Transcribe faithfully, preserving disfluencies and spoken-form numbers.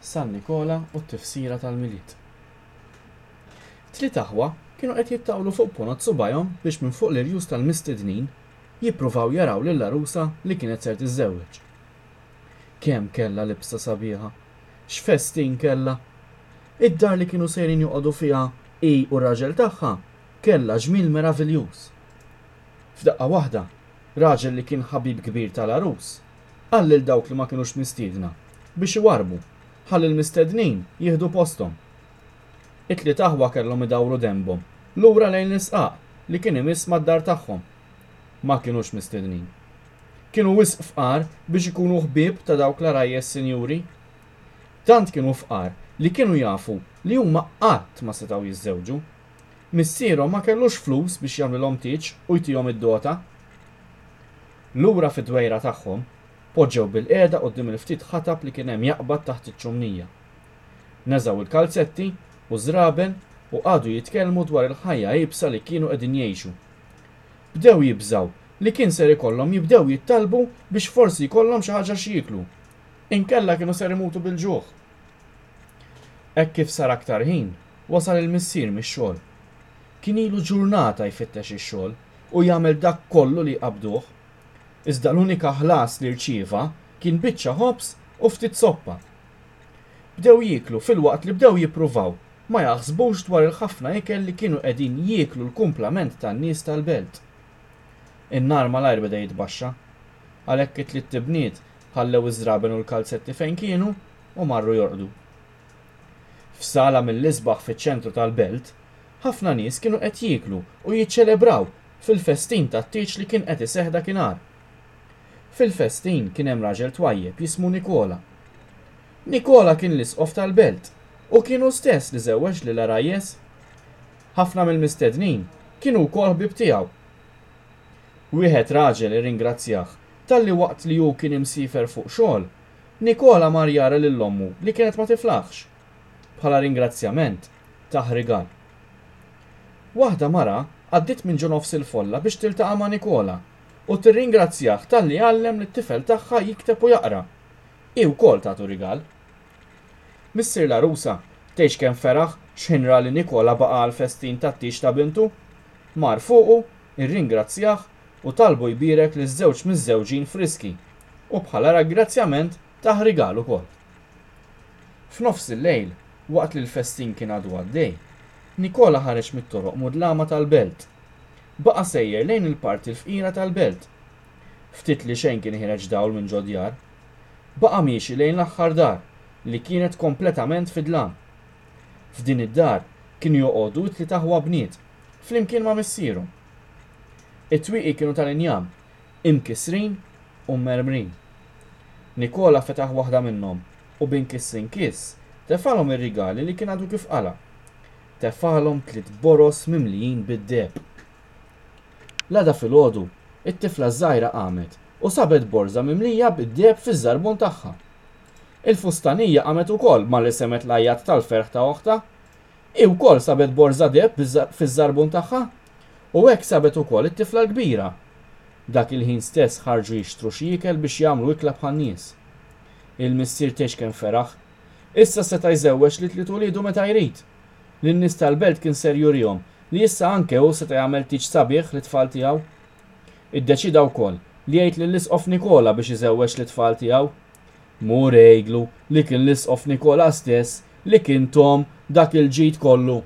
San Nikola u t-tifsira tal-Milied. Tliet aħwa kienu qed jittawlu fuq ponot subgħajhom biex minn fuq l-irjus tal-mistednin jippruvaw jaraw lill-għarusa li kienet ser tiżżewweġ. Kemm kellha libsa sabiħa! X'festin kellha! Id-dar li kienu sejrin joqogħdu fiha hi u r-raġel tagħha kellha ġmiel meraviljuż. F'daqqa waħda, raġel li kien ħabib kbir tal-għarus qal lil dawk li ma kinux mistiedna biex iwarrbu ħalli l-mistednin jieħdu posthom. It-tliet aħwa kellhom idawru denbhom lura lejn l-isqaq li kien imiss mad-dar tagħhom. Ma kinux mistednin. Kienu wisq fqar biex ikunu ħbieb ta' dawk l-għarajjes sinjuri. Tant kienu fqar li kienu jafu li huma qatt ma setgħu jiżżewġu. Missierhom ma kellux flus biex jagħmlilhom tieġ u jtihom id-dota. Lura fid-dwejra tagħhom, Poġġew bilqiegħda quddiem il-ftit ħatab li kien hemm jaqbad taħt iċ-ċumnija. Neżgħu l-kalzetti u ż-żraben u qagħdu jitkellmu dwar il-ħajja iebsa li kienu qegħdin jgħixu. Bdew jibżgħu li kien ser ikollhom jibdew jittalbu biex forsi jkollhom xi ħaġa x'jieklu. Inkella kienu ser imutu bil-ġuħ. Hekk kif sar aktar ħin, wasal il-missier mix-xogħol. Kien ilu ġurnata jfittex ix-xogħol u jagħmel dak kollu li jqabbduh. Iżda l-unika ħlas li rċieva kien biċċa ħobż u ftit soppa. Bdew jieklu filwaqt li bdew jippruvaw ma jaħsbux dwar il-ħafna ikel li kienu qegħdin jieklu l-kumplament tan-nies tal-belt. In-nar malajr beda jitbaxxa. Għalhekk it-tliet ibniet ħallew iż-żraben u l-kalzetti fejn kienu u marru jorqdu. F'sala mill-isbaħ fiċ-ċentru tal-belt, ħafna nies kienu qed jieklu u jiċċelebraw fil-festin tat-tieġ li kien qed iseħħ dakinhar. Fil-festin kien hemm raġel twajjeb jismu Nikola. Nikola kien l-isqof tal-belt u kien hu stess li żewweġ lil għarajjes. Ħafna mill-mistednin kienu wkoll ħbieb tiegħu. Wieħed raġel irringrazzjah talli waqt li hu kien imsiefer fuq xogħol, Nikola mar jara lil ommu li kienet ma tiflaħx. Bħala ringrazzjament, tah rigal. Waħda mara għaddiet minn ġo nofs il-folla biex tiltaqa' ma' Nikola u tirringrazzjah talli għallem lit-tifel tagħha jikteb u jaqra. Hi wkoll tatu rigal. Missier l-għarusa, tgħidx kemm feraħ x'ħin ra li Nikola baqa' għall-festin tat-tieġ ta' bintu. Mar fuqu, irringrazzjah u talbu jbierek liż-żewġ miżżewġin friski u bħala ragrazzjament tah rigal ukoll. F'nofs il-lejl, waqt li l-festin kien għadu għaddej, Nikola ħareġ mit-toroq mudlama tal-belt. Baqa' sejjer lejn il-parti l-fqira tal-belt. Ftit li xejn kien ħiereġ dawl minn ġo djar. Baqa' miexi lejn l-aħħar dar, li kienet kompletament fid-dlam. F'din id-dar kienu joqogħdu t-tliet aħwa bniet, flimkien ma' missierhom. It-twieqi kienu tal-injam, imkissrin u mmermrin. Nikola fetaħ waħda minnhom u b'inkiss inkiss tefgħalhom ir-rigali li kien għadu kif qala'. Tefgħalhom tliet boroż mimlijin bid-deheb. L-għada filgħodu, it-tifla ż-żgħira qamet u sabet borża mimlija bid-deheb fiż-żarbun tagħha. Il-fustanija qamet ukoll malli semgħet l-għajjat tal-ferħ ta' oħtha. Hi wkoll sabet borża deheb fiż-żarbun tagħha. U hekk sabet ukoll it-tifla l-kbira. Dak il-ħin stess ħarġu jixtru xi ikel biex jagħmlu ikla bħan-nies. Il-missier tgħix kemm feraħ. Issa seta' jżewweġ lit-tliet uliedu meta jrid. Lin-nies tal-belt kien ser jurihom li issa anke hu seta' jagħmel tieġ sabiħ lit-tfal tiegħu. Iddeċieda wkoll li jgħid lill-Isqof Nikola biex iżewweġ lit-tfal tiegħu. Mur għidlu li kien l-Isqof Nikola stess li kien thom dak il-ġid kollu.